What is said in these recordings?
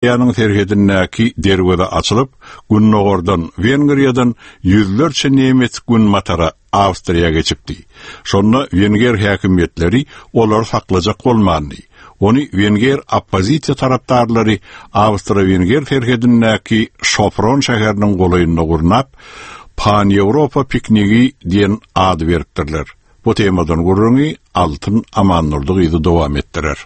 Awstriýanyň serhedindäki derweze açylyp, gündogardan, Wengriýadan ýüzlerçe nemes günbatara, Awstriýa geçipdi. Şonda wenger häkimiýetleri olary saklajak bolmandy. Ony wenger oppozisiýa tarapdarlary awstro-wenger serhedindäki Şopron şäheriniň golaýynda gurnap, Pan-Ýewropa piknigi diýen ady beripdirler. Bu temadan gürrüňi Altyn Amandurdy gyzy dowam etdirer.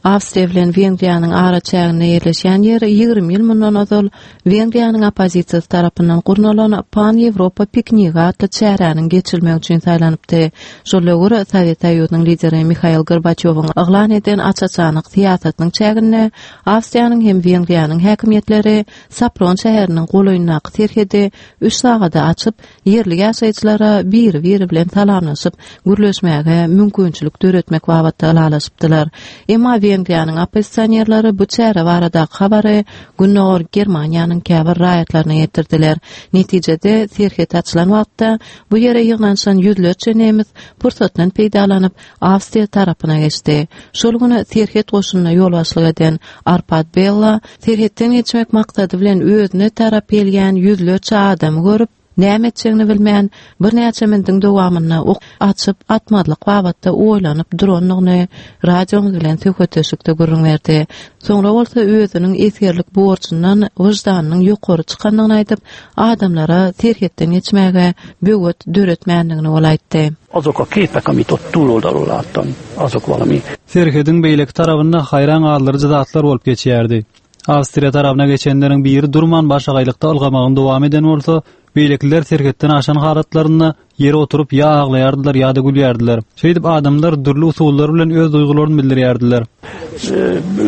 Awstriýa bilen Wengriýanyň araçäginde ýerleşýän ýer 20 ýyl mundan ozal Wengriýanyň oppozisiýasy tarapyndan gurnalan Pan-Ýewropa piknigi atly çäräniň geçirilmegi üçin saýlanypdy. Şol döwür Sowet Soýuzynyň lideri Mihail Gorbaçýowyň yglan eden aç-açanlyk syýasatynyň çäginde Awstriýanyň hem Wengriýanyň häkimiýetleri Sopron şäheriniň golaýyndaky serhedi üç sagada açyp, ýerli ýaşaýjylara biri-biri bilen salamlaşyp, gürleşmäge mümkinçilik döretmek babatda ylalaşypdylar. Emma Wengriýanyň oppozisionerleri bu çäre baradaky habary Gündogar Germaniýanyň käbir raýatlaryna ýetirdiler. Netijede, serhet açylan wagtda bu ýere ýygnanyşan ýüzlerçe nemes pursatdan peýdalanyp, Awstriýa tarapyna geçdi. Şol gün serhet goşunyna ýolbaşçylyk eden Arpad Bella serhetden geçmek maksady bilen özüne tarap gelýän ýüzlerçe adamy görüp, näme etjegini bilmän, birnäçe mindiň dowamynda ok açyp atmazlyk babatda oýlanyp durandygyny radiomyz bilen söhbetdeşlikde gürrüň berdi. Soňra bolsa özüniň esgerlik borjundan wyždanynyň ýokary çykandygyny aýdyp, adamlara serhetden geçmäge böwet döretmändigini ol aýtdy. Azok a képek, amit ott túloldalról láttam, azok valami. Serhediň beýleki tarabynda haýran galdyryjy zatlar bolup geçýärdi. Awstriýa tarabyna geçenleriň biri durman başagaýlykda ylgamagyny dowam eden bolsa, beýlekiler serhetden aşan halatlarynda ýere oturyp ýa aglaýardylar ýa-da gülýärdiler. Şeýdip adamlar dürli usullar bilen öz duýgularyny bildirýärdiler.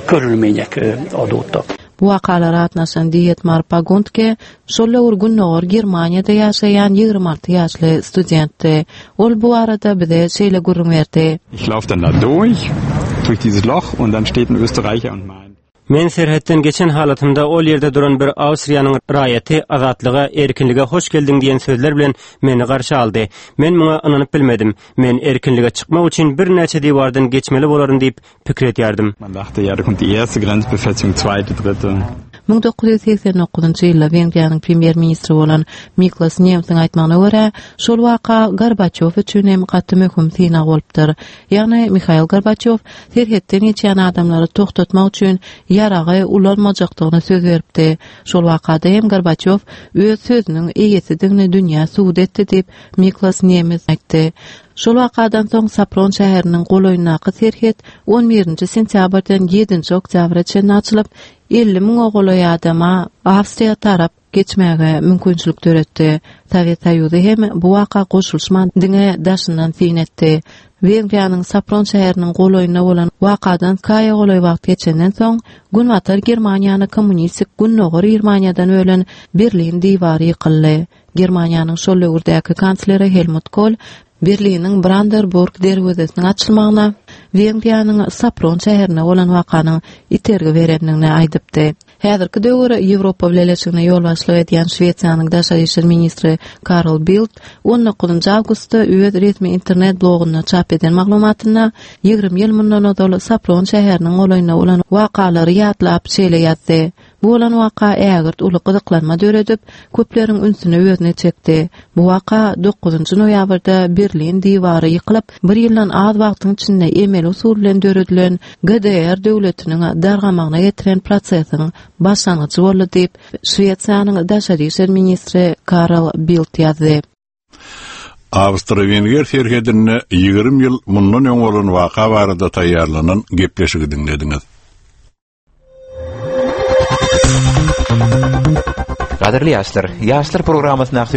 Körülmények adódtak. Bu wakalara gatnaşan Dietmar Paguntke şol döwür Gündogar Germaniýada ýaşaýan 26 ýaşly studentdi. Ol bu barada bize şeýle gürrüň berdi. Ich lauf dann da durch, durch dieses Loch und dann steht ein Österreicher und meint. Men serhetden geçen halatymda ol ýerde duran bir Awstriýanyň raýaty Azatlyga, erkinlige hoş geldiň diýen sözler bilen meni garşy aldy. Men muňa ynanyp bilmedim. Men erkinlige çykmak üçin birnäçe diwardan geçmeli bolaryn diýip pikir edýärdim. Man dachte, ja, da kommt die erste Grenzbefestigung, zweite, dritte. 1989-njy ýylda Wengriýanyň premýer-ministri bolan Miklos Nemsiň aýtmagyna görä, şol waka Gorbaçýow üçin hem gaty möhüm synag bolupdyr. Ýagny Mihail Gorbaçýow serhetden geçýän adamlary togtatmak üçin ýaragy ulanmajakdygyny söz beripdi. Şol wakada hem Gorbaçýow öz sözüniň eýesidigini dünýä subut etdi diýip, Miklos Nemes aýtdy. Şol wakadan soň Sopron şäheriniň golaýyndaky serhet on birinji sentýabrdan ýedinji oktýabra çenli açylyp, 50 müňe golaý adama Awstriýa tarap geçmäge mümkinçilik döretdi. Sowet Soýuzy hem bu waka goşulyşman diňe daşyndan syn etdi. Wengriýanyň Sopron şäheriniň golaýynda bolan wakadan iki aýa golaý wagt geçenden soň, Günbatar Germaniýany kommunistik Gündogar Germaniýadan bölen Berlin diwary ýykyldy. Germaniýanyň şol döwürdäki kansleri Helmut Kohl Berliniň Branderburg derwezesiniň açylmagyna Wengriýanyň Sopron şäherinde bolan wakanyň itergi berendigini aýdypdy. Häzirki döwür Ýewropa Bileleşigine ýolbaşçylyk edýän Şwesiýanyň daşary işler ministri Karl Bildt on dokuzynjy awgustda öz resmi internet blogunda çap eden maglumatynda 20 ýyl mundan ozal Sopron şäheriniň golaýynda bolan wakalary ýatlap şeýle ýazdy, Bu bolan waka ägirt uly gyzyklanma döredip, köpleriň ünsüni özüne çekdi. Bu waka dokuzynjy noýabrda Berlin diwary ýykylyp, bir ýyldan az wagtyň içinde emeli usul bilen döredilen GDR döwletiniň dargamagyna getiren prosesiň başlangyjy boldy diýip, Şwesiýanyň daşary işler ministri Karl Bildt ýazdy. Awstro-wenger serhedinde 20 ýyl mundan öň bolan waka barada taýýarlanan gepleşigi diňlediňiz. Gadyrly ýaşlar, Ýaşlar programmasyndaky.